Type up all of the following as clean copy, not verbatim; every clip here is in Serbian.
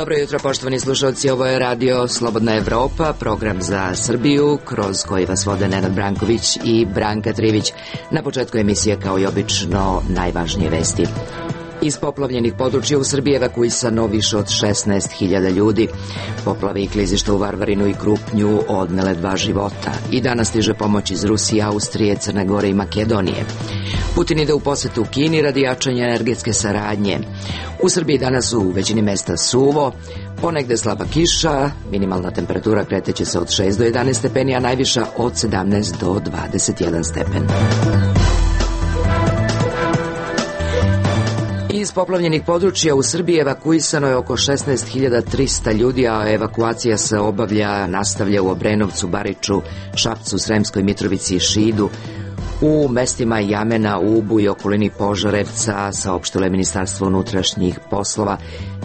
Dobro jutro, poštovani slušalci, ovo je radio Slobodna Evropa, program za Srbiju, kroz koji vas vode Nenad Branković i Branka Trivić. Na početku emisije, kao i obično, najvažnije vesti. Iz poplavljenih područja u Srbiji evakuisano više od 16.000 ljudi. Poplave i klizišta u Varvarinu i Krupnju odnele 2 života. I danas stiže pomoć iz Rusije, Austrije, Crne Gore i Makedonije. Putin ide u posetu u Kini radi jačanja energetske saradnje. U Srbiji danas u većini mesta suvo, ponegde slaba kiša, minimalna temperatura kreteće se od 6 do 11 stepeni, a najviša od 17 do 21 stepen. Iz poplavljenih područja u Srbiji evakuisano je oko 16.300 ljudi, a evakuacija se nastavlja u Obrenovcu, Bariču, Šapcu, Sremskoj Mitrovici i Šidu. U mestima Jamena, Ubu i okolini Požarevca, saopštilo je Ministarstvo unutrašnjih poslova.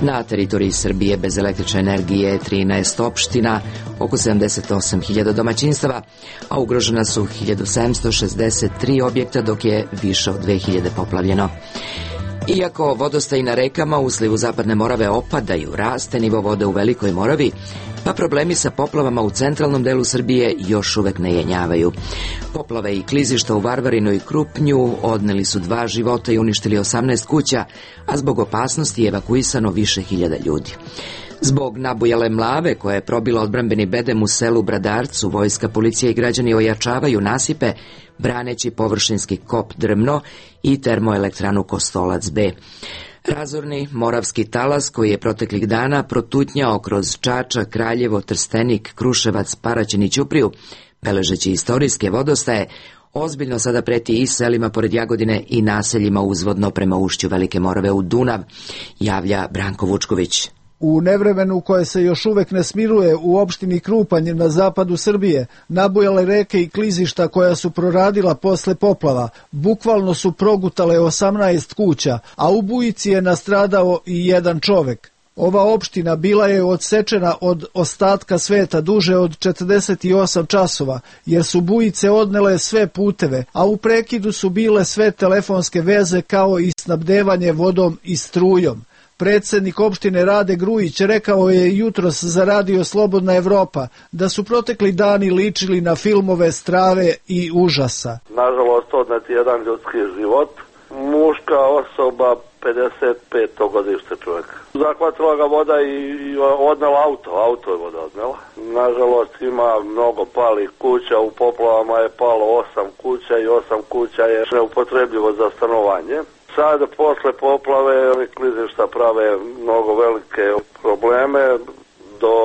Na teritoriji Srbije bez električne energije 13 opština, oko 78.000 domaćinstava, a ugrožena su 1763 objekta, dok je više od 2000 poplavljeno. Iako vodostaji na rekama u slivu Zapadne Morave opadaju, raste nivo vode u Velikoj Moravi, pa problemi sa poplavama u centralnom delu Srbije još uvek ne jenjavaju. Poplave i klizišta u Varvarinu i Krupnju odneli su 2 života i uništili 18 kuća, a zbog opasnosti je evakuisano više hiljada ljudi. Zbog nabujale mlave koja je probila odbrambeni bedem u selu Bradarcu, vojska, policija i građani ojačavaju nasipe, braneći površinski kop Drmno i termoelektranu Kostolac B. Razorni moravski talas koji je proteklih dana protutnjao kroz Čačak, Kraljevo, Trstenik, Kruševac, Paraćin i Ćupriju, beležeći istorijske vodostaje, ozbiljno sada preti i selima pored Jagodine i naseljima uzvodno prema ušću Velike Morave u Dunav, javlja Branko Vučković. U nevremenu koje se još uvek ne smiruje u opštini Krupanj na zapadu Srbije, nabujale reke i klizišta koja su proradila posle poplava, bukvalno su progutale 18 kuća, a u bujici je nastradao i 1 čovek. Ova opština bila je odsečena od ostatka sveta duže od 48 časova, jer su bujice odnele sve puteve, a u prekidu su bile sve telefonske veze kao i snabdevanje vodom i strujom. Predsednik opštine Rade Grujić rekao je jutros za radio Slobodna Evropa da su protekli dani ličili na filmove strave i užasa. Nažalost, odnet jedan ljudski život, muška osoba, 55. godište čovjek. Zahvatila ga voda i odnela auto je voda odnela. Nažalost, ima mnogo palih kuća, u poplavama je palo 8 kuća i 8 kuća je neupotrebljivo za stanovanje. Sad, posle poplave, klizišta prave mnogo velike probleme. Do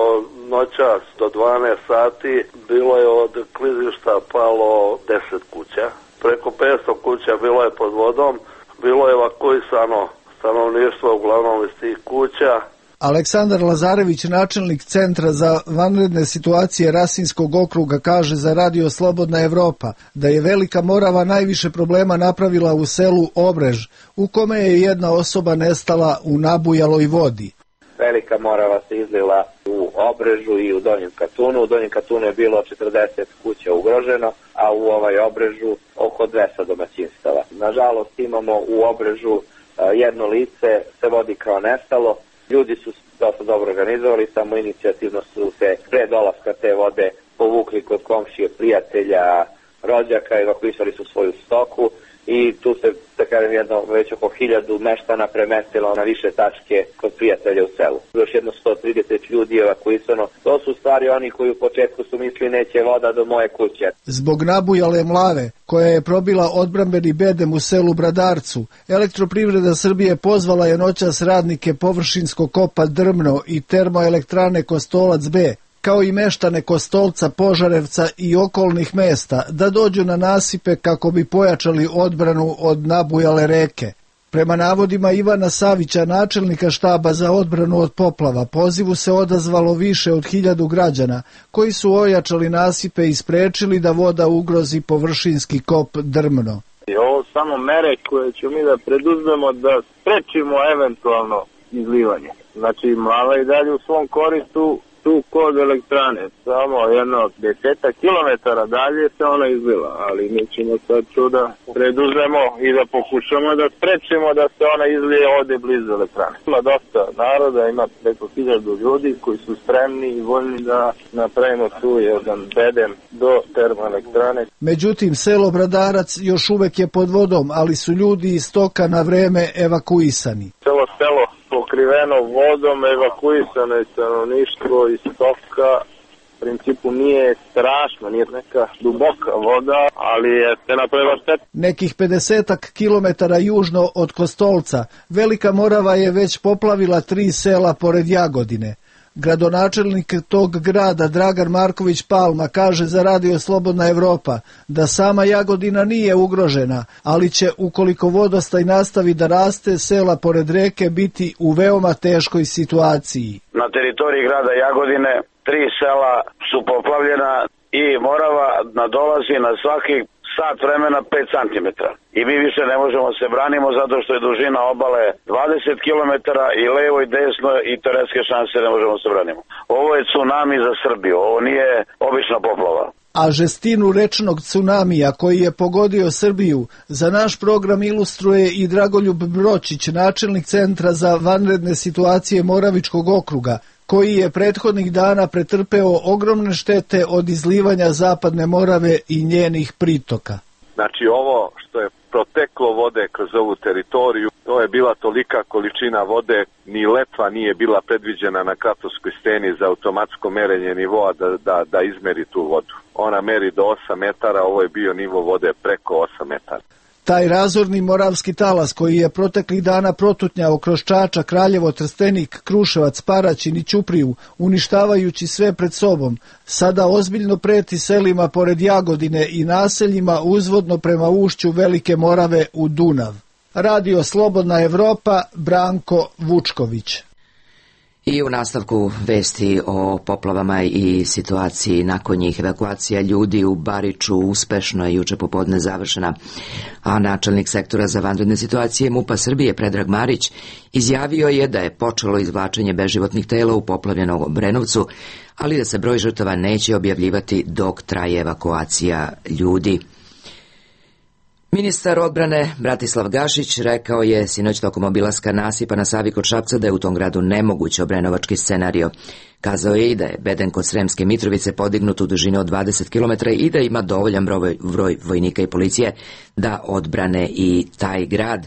noćas, do 12 sati, bilo je od klizišta palo 10 kuća. Preko 500 kuća bilo je pod vodom, bilo je evakuisano stanovništvo uglavnom iz tih kuća. Aleksandar Lazarević, načelnik Centra za vanredne situacije Rasinskog okruga, kaže za radio Slobodna Evropa da je Velika Morava najviše problema napravila u selu Obrež, u kome je 1 osoba nestala u nabujaloj vodi. Velika Morava se izlila u Obrežu i u Donjem Katunu. U Donjem Katunu je bilo 40 kuća ugroženo, a u Obrežu oko 200 domaćinstava. Nažalost, imamo u Obrežu 1 lice se vodi kao nestalo. Ljudi su dosta dobro organizovali, samo inicijativno su se pre dolaska te vode povukli kod komšije, prijatelja, rođaka, evakuisali su svoju stoku i tu se, da kažem, već oko 1000 meštana premestilo na više tačke kod prijatelja u selu. Još jedno 130 ljudi je evakuisano. To su stvari oni koji u početku su mislili neće voda do moje kuće. Zbog nabujale mlave, koja je probila odbrambeni bedem u selu Bradarcu, Elektroprivreda Srbije pozvala je noćas radnike površinskog kopa Drmno i termoelektrane Kostolac B, kao i meštane Kostolca, Požarevca i okolnih mesta, da dođu na nasipe kako bi pojačali odbranu od nabujale reke. Prema navodima Ivana Savića, načelnika štaba za odbranu od poplava, pozivu se odazvalo više od 1000 građana, koji su ojačali nasipe i sprečili da voda ugrozi površinski kop Drmno. Ovo su samo mere koje ćemo mi da preduzmemo da sprečimo eventualno izlivanje. Znači, mlava i dalje u svom koristu tu kod elektrane, samo jedno 10 kilometara dalje se ona izlila, ali mi ćemo sad tu da preduzmemo i da pokušamo da sprečimo da se ona izlije ovde blizu elektrane. Ima dosta naroda, ima preko 1000 ljudi koji su spremni i voljni da napravimo tu jedan bedem do termoelektrane. Međutim, selo Bradarac još uvek je pod vodom, ali su ljudi iz toka na vreme evakuisani. Celo selo pokriveno vodom, evakuisano je stanovništvo iz toka. U principu nije strašno, nije neka duboka voda, ali je se napravila šteta. Nekih 50 kilometara južno od Kostolca, Velika Morava je već poplavila 3 sela pored Jagodine. Gradonačelnik tog grada Dragan Marković Palma kaže za Radio Slobodna Evropa da sama Jagodina nije ugrožena, ali će, ukoliko vodostaj nastavi da raste, sela pored reke biti u veoma teškoj situaciji. Na teritoriji grada Jagodine 3 sela su poplavljena i Morava nadolazi na svakih sat vremena 5 cm. I mi više ne možemo se branimo zato što je dužina obale 20 km i levo i desno i teoretske šanse ne možemo se branimo. Ovo je tsunami za Srbiju, ovo nije obična poplava. A žestinu rečnog tsunamija koji je pogodio Srbiju za naš program ilustruje i Dragoljub Bročić, načelnik Centra za vanredne situacije Moravičkog okruga, koji je prethodnih dana pretrpeo ogromne štete od izlivanja Zapadne Morave i njenih pritoka. Znači ovo što je proteklo vode kroz ovu teritoriju, to je bila tolika količina vode, ni letva nije bila predviđena na Kratovskoj steni za automatsko merenje nivoa da izmeri tu vodu. Ona meri do 8 metara, ovo je bio nivo vode preko 8 metara. Taj razorni moravski talas koji je proteklih dana protutnjao kroz Čačak, Kraljevo, Trstenik, Kruševac, Paraćin i Ćupriju, uništavajući sve pred sobom, sada ozbiljno preti selima pored Jagodine i naseljima uzvodno prema ušću Velike Morave u Dunav. Radio Slobodna Evropa, Branko Vučković. I u nastavku vesti o poplavama i situaciji nakon njih. Evakuacija ljudi u Bariču uspešno je juče popodne završena, a načelnik sektora za vanredne situacije MUP-a Srbije Predrag Marić izjavio je da je počelo izvlačenje beživotnih tela u poplavljenom Obrenovcu, ali da se broj žrtava neće objavljivati dok traje evakuacija ljudi. Ministar odbrane Bratislav Gašić rekao je sinoć tokom obilaska nasipa na Savi kod Šapca da je u tom gradu nemoguć obrenovački scenario. Kazao je i da je beden kod Sremske Mitrovice podignut u dužini od 20 km i da ima dovoljan broj vojnika i policije da odbrane i taj grad.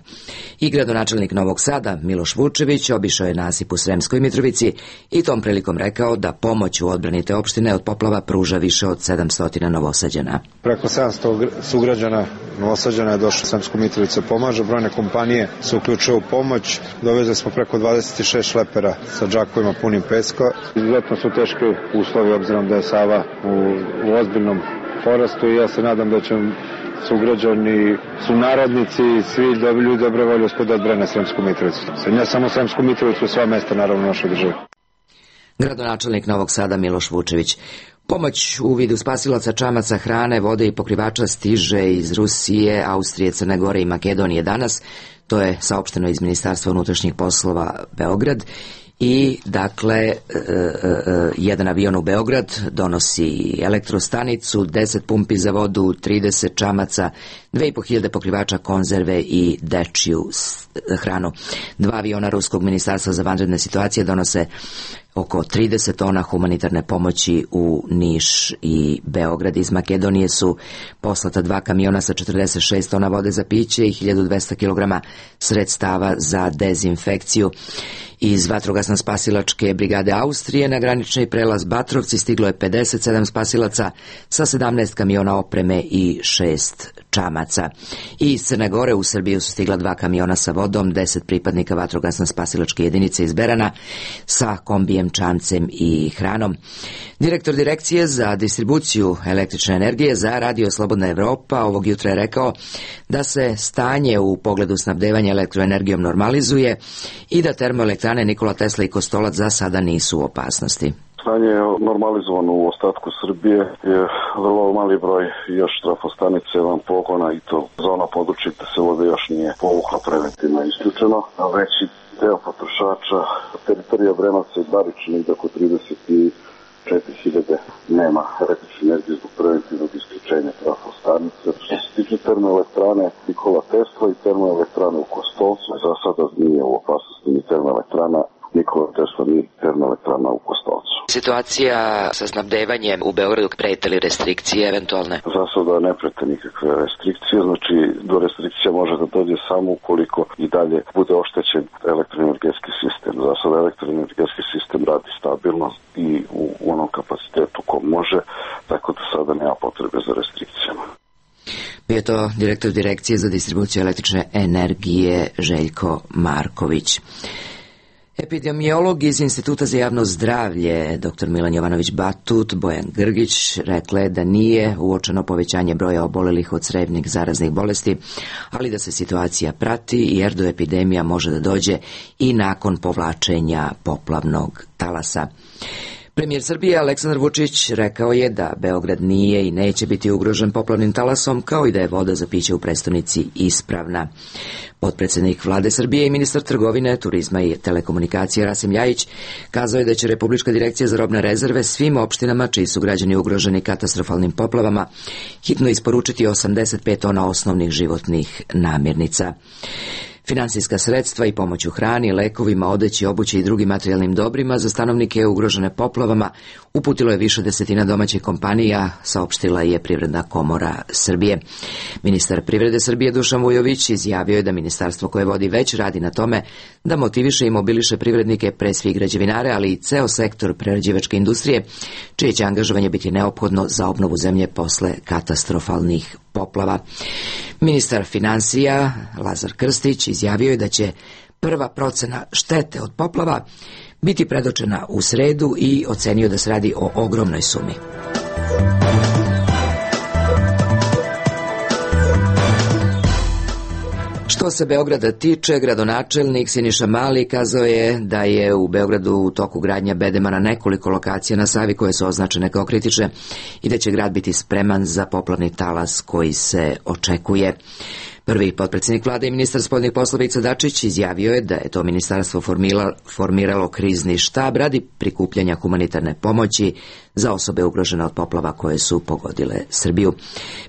I gradonačelnik Novog Sada Miloš Vučević obišao je nasip u Sremskoj Mitrovici i tom prilikom rekao da pomoć u odbrani te opštine od poplava pruža više od 700 Novosađana. Preko 700 sugrađana Novosađana je došlo u Sremsku Mitrovicu pomaže, brojne kompanije se uključuju u pomoć, dovezli smo preko 26 šlepera sa džakovima punim peska. Izuzetno su teški uslovi obzirom da je Sava u ozbiljnom porastu i ja se nadam da će sugrađani, sunarodnici i svi ljudi dobre volje uspjeti da odbrane Sremsku Mitrovicu. Ne samo Sremsku Mitrovicu, sva mesta naravno u našoj državi. Gradonačelnik Novog Sada Miloš Vučević. Pomoć u vidu spasilaca, čamaca, hrane, vode i pokrivača stiže iz Rusije, Austrije, Crne Gore i Makedonije danas. To je saopšteno iz Ministarstva unutrašnjih poslova Beograd. I, dakle, jedan avion u Beograd donosi elektrostanicu, 10 pumpi za vodu, 30 čamaca, 2500 pokrivača, konzerve i dečiju hranu. 2 aviona Ruskog ministarstva za vanredne situacije donose oko 30 tona humanitarne pomoći u Niš i Beograd. Iz Makedonije su poslata 2 kamiona sa 46 tona vode za piće i 1200 kg sredstava za dezinfekciju. Iz vatrogasno-spasilačke brigade Austrije na granični prelaz Batrovci stiglo je 57 spasilaca sa 17 kamiona opreme i 6 čamaca. I iz Crne Gore u Srbiju su stigla 2 kamiona sa vodom, 10 pripadnika vatrogasno-spasilačke jedinice iz Berana sa kombijem, čamcem i hranom. Direktor Direkcije za distribuciju električne energije za Radio Slobodna Evropa ovog jutra je rekao da se stanje u pogledu snabdevanja elektroenergijom normalizuje i da termoelektrane Nikola Tesla i Kostolac za sada nisu u opasnosti. Stanje je normalizovano u ostatku Srbije, je vrlo mali broj još trafostanice van pogona i to za ono područje gde se voda još nije povukla preventivno isključeno, a veći deo potrošača teritorija Obrenovca i Bariča ide oko 4000 nema električne energije zbog preventivnog isključenja trafostanice. Što se tiče termoelektrane Nikola Tesla i termoelektrane u Kostolcu, za sada nije u opasnosti ni termoelektrana Nikola Tesla ni termoelektrana u Kostolcu. Situacija sa snabdevanjem u Beogradu, prete li restrikcije eventualne? Za sada ne prete nikakve restrikcije, znači do restrikcija može da dođe samo ukoliko i dalje bude oštećen elektroenergetski sistem. Za sada elektroenergetski sistem radi stabilno i u onom kapacitetu ko može, tako da sada nema potrebe za restrikcijama. Bio je to direktor Direkcije za distribuciju električne energije Željko Marković. Epidemiolog iz Instituta za javno zdravlje, dr. Milan Jovanović-Batut, Bojan Grgić, rekle da nije uočeno povećanje broja obolelih od crevnih zaraznih bolesti, ali da se situacija prati jer do epidemija može da dođe i nakon povlačenja poplavnog talasa. Premijer Srbije Aleksandar Vučić rekao je da Beograd nije i neće biti ugrožen poplavnim talasom, kao i da je voda za piće u prestonici ispravna. Potpredsednik Vlade Srbije i ministar trgovine, turizma i telekomunikacije Rasim Ljajić kazao je da će Republička direkcija za robne rezerve svim opštinama čiji su građani ugroženi katastrofalnim poplavama hitno isporučiti 85 tona osnovnih životnih namirnica. Finansijska sredstva i pomoć u hrani, lekovima, odeći, obući i drugim materijalnim dobrima za stanovnike ugrožene poplavama uputilo je više desetina domaćih kompanija, saopštila je Privredna komora Srbije. Ministar privrede Srbije Dušan Vujović izjavio je da ministarstvo koje vodi već radi na tome da motiviše i mobiliše privrednike, pre svih građevinare, ali i ceo sektor prerađivačke industrije, čije će angažovanje biti neophodno za obnovu zemlje posle katastrofalnih poplava. Ministar finansija Lazar Krstić izjavio je da će prva procena štete od poplava biti predočena u sredu i ocenio da se radi o ogromnoj sumi. Što se Beograda tiče, gradonačelnik Siniša Mali kazao je da je u Beogradu u toku gradnja bedema na nekoliko lokacija na Savi koje su označene kao kritične i da će grad biti spreman za poplavni talas koji se očekuje. Prvi potpredsjednik vlade i ministar spoljnih poslova Ivica Dačić izjavio je da je to ministarstvo formiralo krizni štab radi prikupljanja humanitarne pomoći za osobe ugrožene od poplava koje su pogodile Srbiju.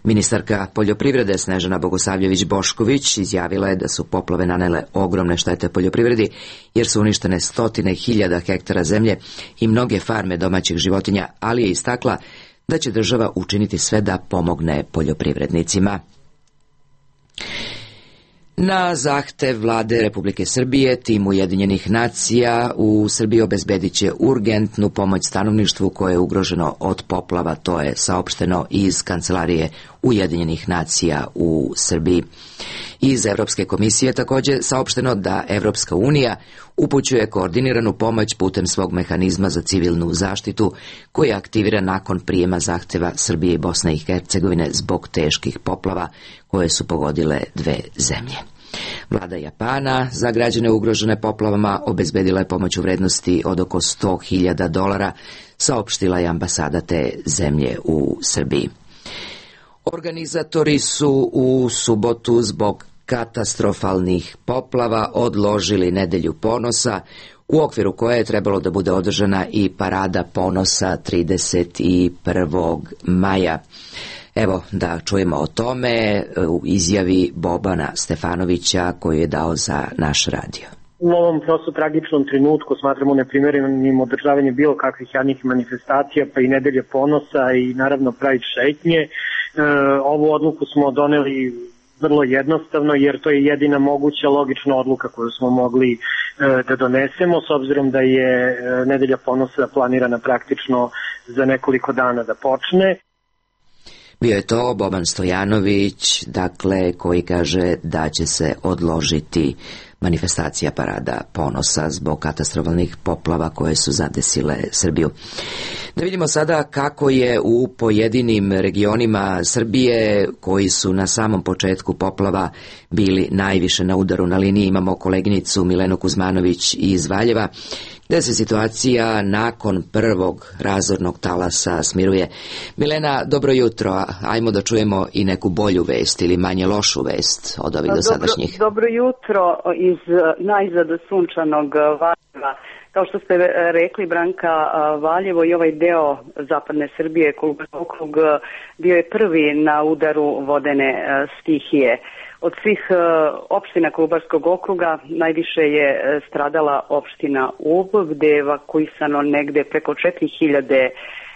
Ministarka poljoprivrede Snežana Bogosavljević-Bošković izjavila je da su poplave nanele ogromne štete poljoprivredi jer su uništene stotine hiljada hektara zemlje i mnoge farme domaćih životinja, ali je istakla da će država učiniti sve da pomogne poljoprivrednicima. Na zahtev vlade Republike Srbije, tim Ujedinjenih nacija u Srbiji obezbedit će urgentnu pomoć stanovništvu koje je ugroženo od poplava, to je saopšteno iz Kancelarije Ujedinjenih nacija u Srbiji. Iz Evropske komisije također saopšteno da Evropska unija upućuje koordiniranu pomoć putem svog mehanizma za civilnu zaštitu koji je aktiviran nakon prijema zahteva Srbije i Bosne i Hercegovine zbog teških poplava koje su pogodile dve zemlje. Vlada Japana za građane ugrožene poplavama obezbedila je pomoć u vrednosti od oko $100.000, saopštila je ambasada te zemlje u Srbiji. Organizatori su u subotu zbog katastrofalnih poplava odložili Nedelju ponosa, u okviru koje je trebalo da bude održana i Parada ponosa 31. maja. Evo da čujemo o tome u izjavi Bobana Stefanovića koju je dao za naš radio. U ovom prosto tragičnom trenutku smatramo neprimerenim održavanje bilo kakvih javnih manifestacija, pa i Nedelje ponosa i naravno Pride šetnje. Ovu odluku smo doneli vrlo jednostavno jer to je jedina moguća logična odluka koju smo mogli da donesemo s obzirom da je Nedelja ponosa planirana praktično za nekoliko dana da počne. Bio je to Boban Stojanović, dakle, koji kaže da će se odložiti manifestacija Parada ponosa zbog katastrofalnih poplava koje su zadesile Srbiju. Da vidimo sada kako je u pojedinim regionima Srbije koji su na samom početku poplava bili najviše na udaru. Na liniji imamo koleginicu Milenu Kuzmanović iz Valjeva, gde se situacija nakon prvog razornog talasa smiruje. Milena, dobro jutro. Ajmo da čujemo i neku bolju vest ili manje lošu vest od ovih dosadašnjih. Dobro jutro iz najzad sunčanog Valjeva. Kao što ste rekli, Branka, Valjevo i ovaj deo zapadne Srbije, Kolubarski okrug, bio je prvi na udaru vodene stihije. Od svih opština Kolubarskog okruga najviše je stradala opština Ub, gde je evakuisano negde preko 4000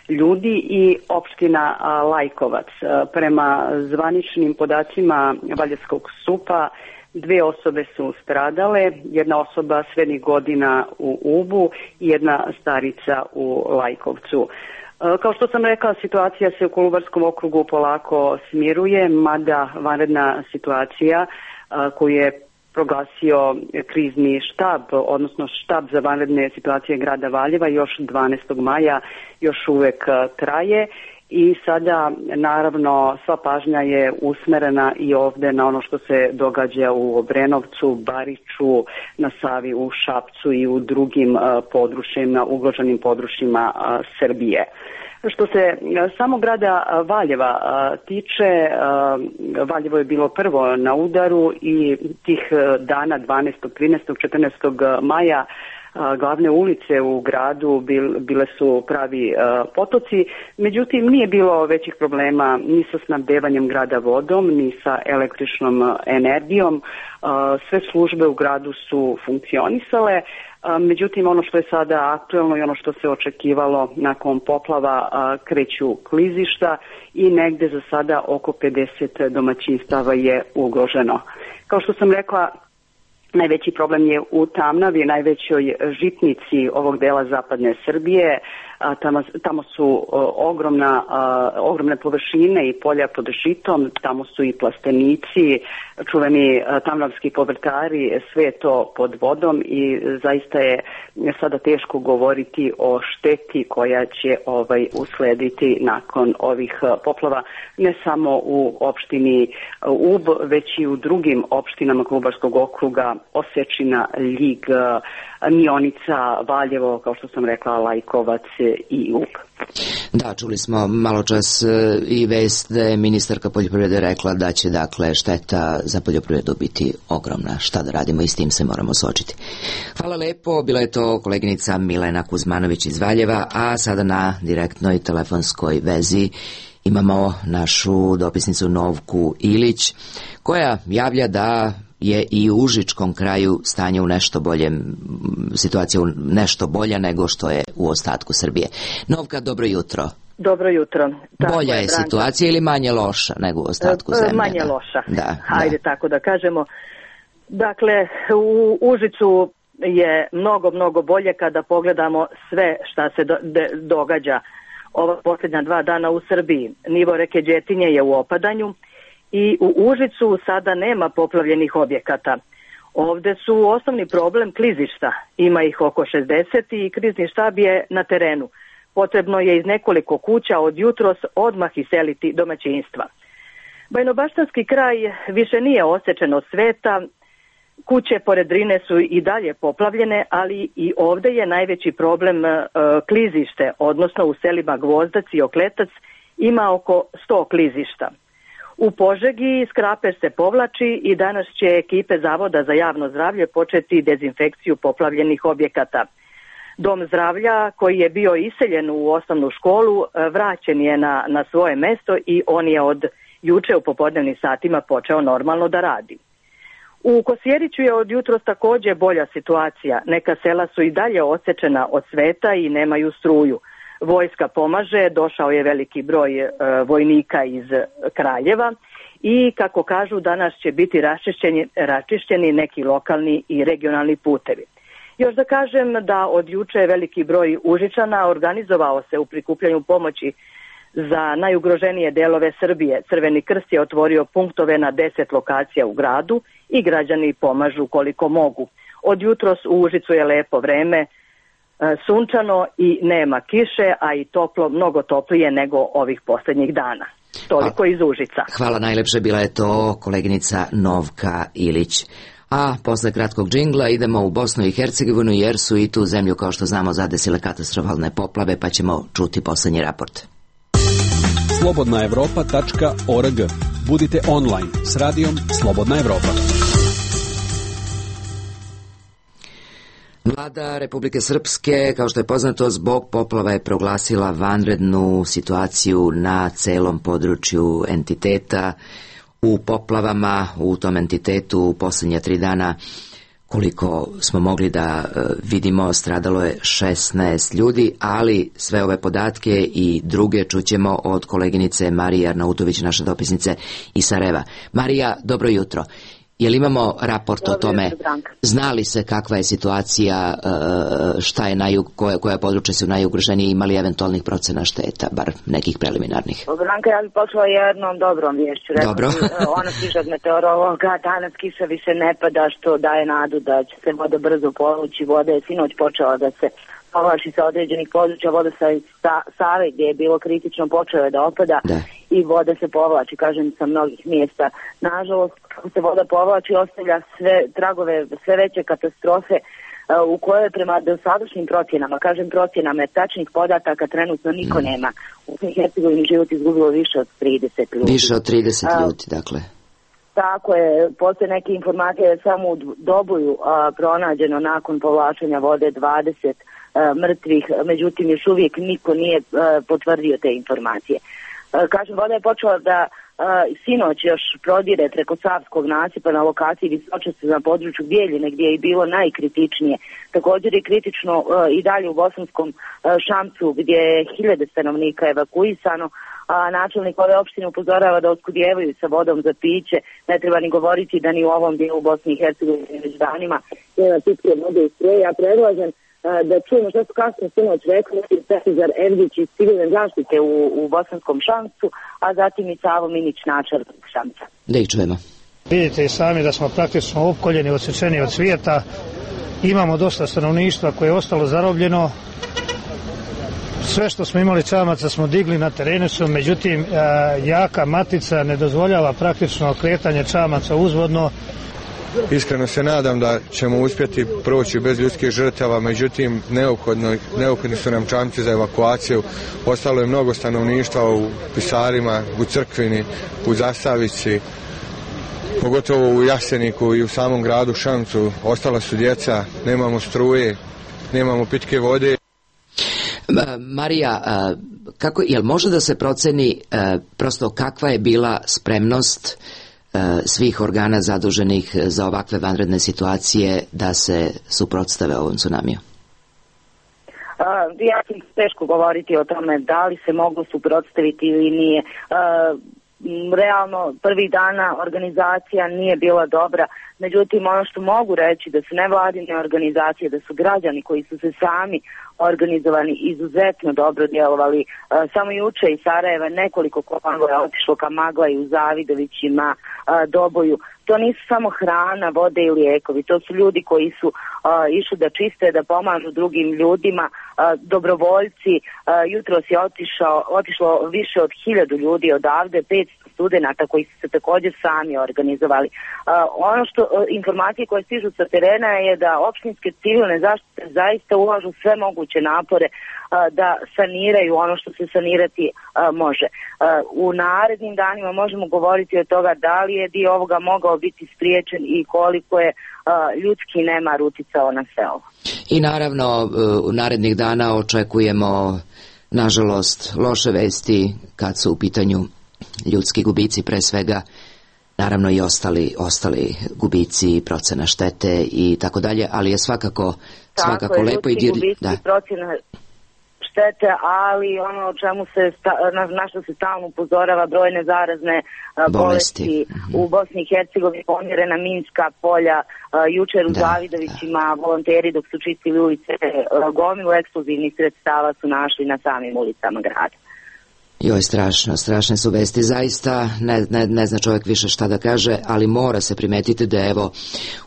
ljudi, i opština Lajkovac. Prema zvaničnim podacima Valjevskog SUP-a 2 osobe su stradale, jedna osoba srednjih godina u Ubu i jedna starica u Lajkovcu. Kao što sam rekla, situacija se u Kolubarskom okrugu polako smiruje, mada vanredna situacija koju je proglasio krizni štab, odnosno štab za vanredne situacije grada Valjeva još 12. maja još uvek traje. I sada, naravno, sva pažnja je usmerena i ovde na ono što se događa u Obrenovcu, Bariču, na Savi, u Šapcu i u drugim područjima, ugroženim područjima Srbije. Što se samog grada Valjeva tiče, Valjevo je bilo prvo na udaru i tih dana 12., 13., 14. maja glavne ulice u gradu bile su pravi potoci, međutim nije bilo većih problema ni sa snabdevanjem grada vodom, ni sa električnom energijom. Sve službe u gradu su funkcionisale, međutim ono što je sada aktuelno i ono što se očekivalo nakon poplava, kreću klizišta i negde za sada oko 50 domaćinstava je ugroženo. Kao što sam rekla, najveći problem je u Tamnavi, najvećoj žitnici ovog dela zapadne Srbije. Tamo su ogromne površine i polja pod žitom, tamo su i plastenici, čuveni tamnavski povrtari, sve je to pod vodom i zaista je sada teško govoriti o šteti koja će uslediti nakon ovih poplava, ne samo u opštini Ub, već i u drugim opštinama Kolubarskog okruga, Osečina, Ljig, Mionica, Valjevo, kao što sam rekla, Lajkovac i Ub. Da, čuli smo malo čas i vest da je ministarka poljoprivrede rekla da će dakle šteta za poljoprivredu biti ogromna. Šta da radimo i s tim se moramo suočiti. Hvala lepo, bila je to koleginica Milena Kuzmanović iz Valjeva, a sada na direktnoj telefonskoj vezi imamo našu dopisnicu Novku Ilić, koja javlja da je i u Užičkom kraju stanje u nešto boljem, situacija u nešto bolja nego što je u ostatku Srbije. Novka, dobro jutro. Dobro jutro. Tako bolja je situacija ili manje loša nego u ostatku zemlje? Manje loša. Da, hajde tako da kažemo. Dakle, u Užicu je mnogo bolje kada pogledamo sve šta se događa ova posljednja 2 dana u Srbiji. Nivo reke Đetinje je u opadanju i u Užicu sada nema poplavljenih objekata. Ovde su osnovni problem klizišta. Ima ih oko 60 i krizni štab je na terenu. Potrebno je iz nekoliko kuća od jutros odmah iseliti domaćinstva. Bajnobaštanski kraj više nije osečen od sveta. Kuće pored Drine su i dalje poplavljene, ali i ovde je najveći problem klizište, odnosno u selima Gvozdac i Okletac ima oko 100 klizišta. U Požegi skraper se povlači i danas će ekipe Zavoda za javno zdravlje početi dezinfekciju poplavljenih objekata. Dom zdravlja koji je bio iseljen u osnovnu školu vraćen je na svoje mesto i on je od juče u popodnevnim satima počeo normalno da radi. U Kosjeriću je od jutros takođe bolja situacija. Neka sela su i dalje odsečena od sveta i nemaju struju. Vojska pomaže, došao je veliki broj vojnika iz Kraljeva i, kako kažu, danas će biti raščišćeni neki lokalni i regionalni putevi. Još da kažem da od juče veliki broj Užičana organizovao se u prikupljanju pomoći za najugroženije delove Srbije. Crveni krst je otvorio punktove na 10 lokacija u gradu i građani pomažu koliko mogu. Od jutros u Užicu je lepo vreme, sunčano i nema kiše, a i toplo, mnogo toplije nego ovih posljednjih dana. Toliko iz Užica. Hvala najlepše, bila je to koleginica Novka Ilić. A posle kratkog džingla idemo u Bosnu i Hercegovinu, jer su i tu zemlju, kao što znamo, zadesile katastrofalne poplave, pa ćemo čuti poslednji raport. slobodnaevropa.org. Budite online s radijom Slobodna Evropa. Vlada Republike Srpske, kao što je poznato, zbog poplava je proglasila vanrednu situaciju na celom području entiteta. U poplavama u tom entitetu u posljednja 3 dana, koliko smo mogli da vidimo, stradalo je 16 ljudi, ali sve ove podatke i druge čućemo od koleginice Marije Arnautović, naše dopisnice iz Sarajeva. Marija, dobro jutro. Jel imamo raport o tome, zna li se kakva je situacija, šta je koja područja su najugroženije, imali eventualnih procena šteta, bar nekih preliminarnih? Branka, ja bih počela jednom dobrom vješću. Dobro. Ona stiže od meteorologa, danas kiša više ne pada, što daje nadu da će se voda brzo povući. Voda je sinoć počela da se povlači sa određenih područja, voda sa Save gdje je bilo kritično počela da opada i voda se povlači, kažem, sa mnogih mjesta. Nažalost, kako se voda povlači, ostavlja sve tragove, sve veće katastrofe u kojoj prema dosadašnjim procjenama, kažem procjenama, jer tačnih podataka trenutno niko nema. U Hercegovini život izgubilo više od 30 ljudi. Više od 30 ljudi, dakle. Tako je, postoje neke informacije samo u Doboju pronađeno nakon povlačenja vode 20 mrtvih, međutim još uvijek niko nije potvrdio te informacije. Kažem, voda je počela da sinoć još prodire preko Savskog nasipa na lokaciji Visočaste na području Bijeljine gdje je bilo najkritičnije. Također je kritično i dalje u Bosanskom Šamcu gdje je 1000 stanovnika evakuisano, a načelnik ove opštine upozorava da oskudijevaju sa vodom za piće. Ne treba ni govoriti da ni u ovom dijelu Bosni i Hercegovine već danima nema pitke vode i struje. Ja predlažem da čujemo što su kasno sinoć rekli Petizar Evdić iz civilne zaštite u Bosanskom Šamcu, a zatim i Savo Minić, načelnik Šamca. Da ih čujemo. Vidite i sami da smo praktično opkoljeni, odsečeni od svijeta. Imamo dosta stanovništva koje je ostalo zarobljeno. Sve što smo imali čamaca smo digli na terenu su, međutim jaka matica ne dozvoljava praktično kretanje čamaca uzvodno. Iskreno se nadam da ćemo uspjeti proći bez ljudskih žrtava, međutim neophodni su nam čamci za evakuaciju. Ostalo je mnogo stanovništva u Pisarima, u Crkvini, u Zasavici, pogotovo u Jaseniku i u samom gradu Šamcu. Ostala su djeca, nemamo struje, nemamo pitke vode. Marija, jel može da se proceni prosto kakva je bila spremnost svih organa zaduženih za ovakve vanredne situacije da se suprotstave ovom tsunamiju? Ja sam teško govoriti o tome da li se moglo suprotstaviti ili nije. Realno, prvih dana organizacija nije bila dobra, međutim ono što mogu reći da su nevladine organizacije, da su građani koji su se sami organizovani izuzetno dobro djelovali. Samo juče iz Sarajeva nekoliko konvoja otišlo ka Maglaju, Zavidovićima, Doboju. To nisu samo hrana, vode i lijekovi, to su ljudi koji su išli da čiste, da pomažu drugim ljudima, dobrovoljci. Jutros je otišlo više od 1000 ljudi odavde, 500 studenata koji su se također sami organizovali. Ono što informacije koje stižu sa terena je da opštinske civilne zaštite zaista ulažu sve moguće napore da saniraju ono što se sanirati može. U narednim danima možemo govoriti o toga da li je dio ovoga mogao biti spriječen i koliko je ljudski nemar uticao na sve ovo. I naravno u narednih dana očekujemo nažalost loše vesti kad su u pitanju ljudski gubici, pre svega naravno i ostali gubici, procena štete i tako dalje, ali je svakako lepo i dirljivo. Procena štete, ali ono o čemu na što se stalno upozorava, brojne zarazne bolesti u Bosni i Hercegovini, pomjerena minska polja, jučer u Zavidovićima volonteri dok su čistili ulice, gomilu eksplozivnih sredstava su našli na samim ulicama grada. Joj, strašne su vesti, zaista ne zna čovjek više šta da kaže, ali mora se primetiti da evo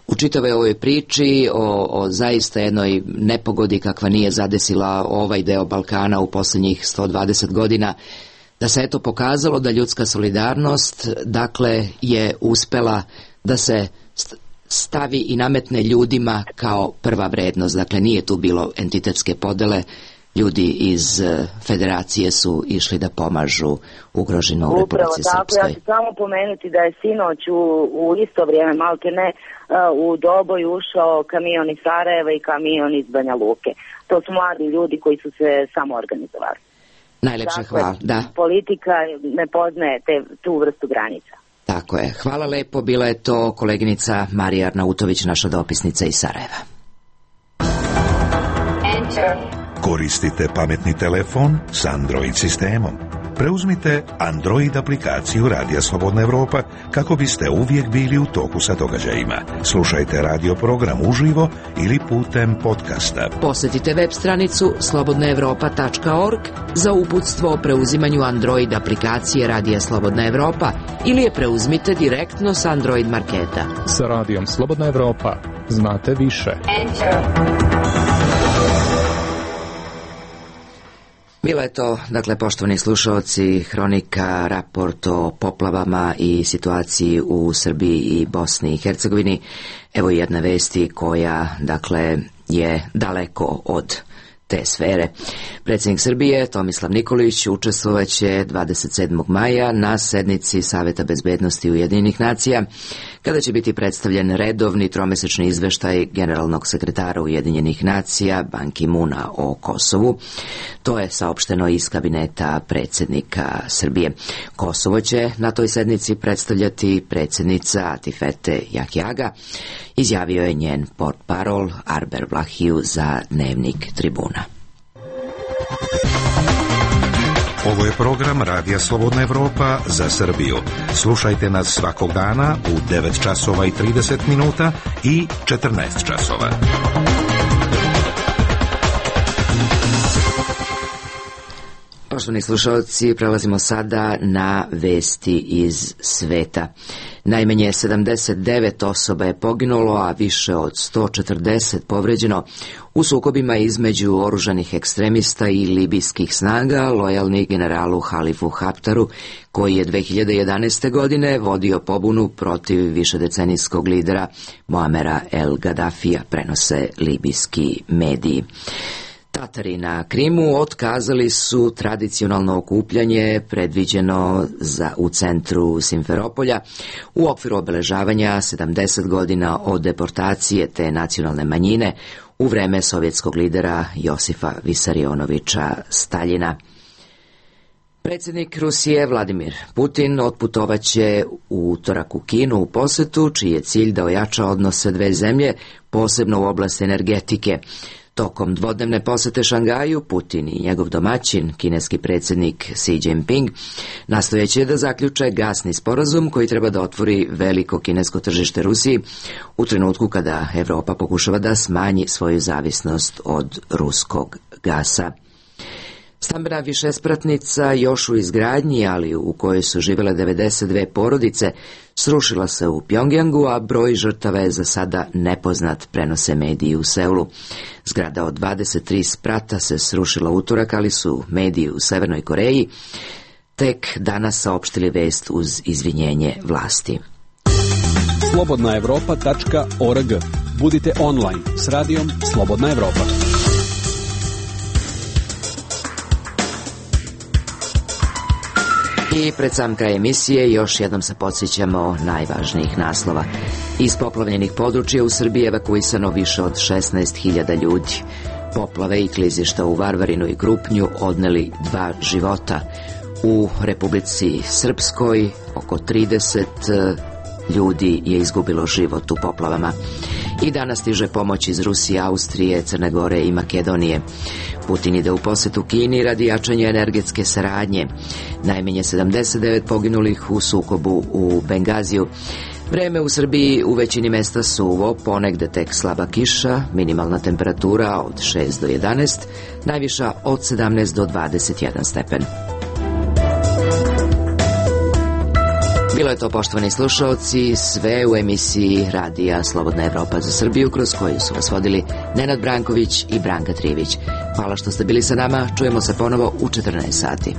u čitavoj ovoj priči o zaista jednoj nepogodi kakva nije zadesila ovaj deo Balkana u posljednjih 120 godina, da se eto pokazalo da ljudska solidarnost dakle je uspela da se stavi i nametne ljudima kao prva vrednost, dakle nije tu bilo entitetske podele, ljudi iz federacije su išli da pomažu ugroženo u Republici Srpskoj. Upravo tako, ja ću samo pomenuti da je sinoć u isto vrijeme, malte ne, u Doboj ušao kamion iz Sarajeva i kamion iz Banja Luke. To su mladi ljudi koji su se samo organizovali. Najlepše hvala, da. Politika ne poznaje tu vrstu granica. Tako je. Hvala lepo, bila je to koleginica Marija Arnautović, naša dopisnica iz Sarajeva. Koristite pametni telefon s Android sistemom. Preuzmite Android aplikaciju Radija Slobodna Evropa kako biste uvijek bili u toku sa događajima. Slušajte radio program uživo ili putem podcasta. Posjetite web stranicu slobodnaevropa.org za uputstvo o preuzimanju Android aplikacije Radija Slobodna Evropa ili je preuzmite direktno s Android marketa. Sa Radijom Slobodna Evropa znate više. Bila je to, dakle, poštovani slušaoci, hronika, raport o poplavama i situaciji u Srbiji i Bosni i Hercegovini. Evo jedna vesti koja, dakle, je daleko od te sfere. Predsjednik Srbije Tomislav Nikolić učestvovaće 27. maja na sednici Saveta bezbednosti Ujedinjenih nacija, kada će biti predstavljen redovni tromesečni izveštaj generalnog sekretara Ujedinjenih nacija Ban Ki-moona o Kosovu. To je saopšteno iz kabineta predsjednika Srbije. Kosovo će na toj sednici predstavljati predsjednica Atifete Jahjaga, izjavio je njen portparol Arber Vlahiju za Dnevnik Tribuna. Ovo je program Radija Slobodna Evropa za Srbiju. Slušajte nas svakog dana u 9 časova i 30 minuta i 14 časova. Poštovani slušalci, prelazimo sada na vesti iz sveta. Najmanje 79 osoba je poginulo, a više od 140 povređeno u sukobima između oružanih ekstremista i libijskih snaga, lojalni generalu Halifu Haftaru, koji je 2011. godine vodio pobunu protiv višedecenijskog lidera Muamera El Gaddafija, prenose libijski mediji. Tatari na Krimu otkazali su tradicionalno okupljanje predviđeno u centru Simferopolja u okviru obeležavanja 70 godina od deportacije te nacionalne manjine u vreme sovjetskog lidera Josifa Visarionovića Staljina. Predsjednik Rusije Vladimir Putin otputovaće u utorak u Kinu u posetu, čiji je cilj da ojača odnose dve zemlje, posebno u oblasti energetike. Tokom dvodnevne posete Šangaju, Putin i njegov domaćin, kineski predsjednik Xi Jinping, nastojeće da zaključe gasni sporazum koji treba da otvori veliko kinesko tržište Rusiji u trenutku kada Evropa pokušava da smanji svoju zavisnost od ruskog gasa. Stambena višespratnica još u izgradnji, ali u kojoj su živjele 92 porodice, srušila se u Pjongjangu, a broj žrtava je za sada nepoznat, prenose mediji u Seulu. Zgrada od 23 sprata se srušila utorak, ali su mediji u Severnoj Koreji tek danas saopštili vest uz izvinjenje vlasti. slobodnaevropa.org. Budite online s radijom Slobodna Evropa. I pred sam kraj emisije još jednom se podsjećamo najvažnijih naslova. Iz poplavljenih područja u Srbiji evakuisano više od 16.000 ljudi. Poplave i klizišta u Varvarinu i Krupnju odneli 2 života. U Republici Srpskoj oko 30 ljudi je izgubilo život u poplavama. I danas stiže pomoć iz Rusije, Austrije, Crne Gore i Makedonije. Putin ide u posetu Kini radi jačanja energetske saradnje. Najmanje 79 poginulih u sukobu u Bengaziju. Vreme u Srbiji u većini mesta suvo, ponegde tek slaba kiša, minimalna temperatura od 6 do 11, najviša od 17 do 21 stepen. Bilo je to, poštovani slušaoci, sve u emisiji Radija Slobodna Evropa za Srbiju, kroz koju su vas vodili Nenad Branković i Branka Trivić. Hvala što ste bili sa nama, čujemo se ponovo u 14 sati.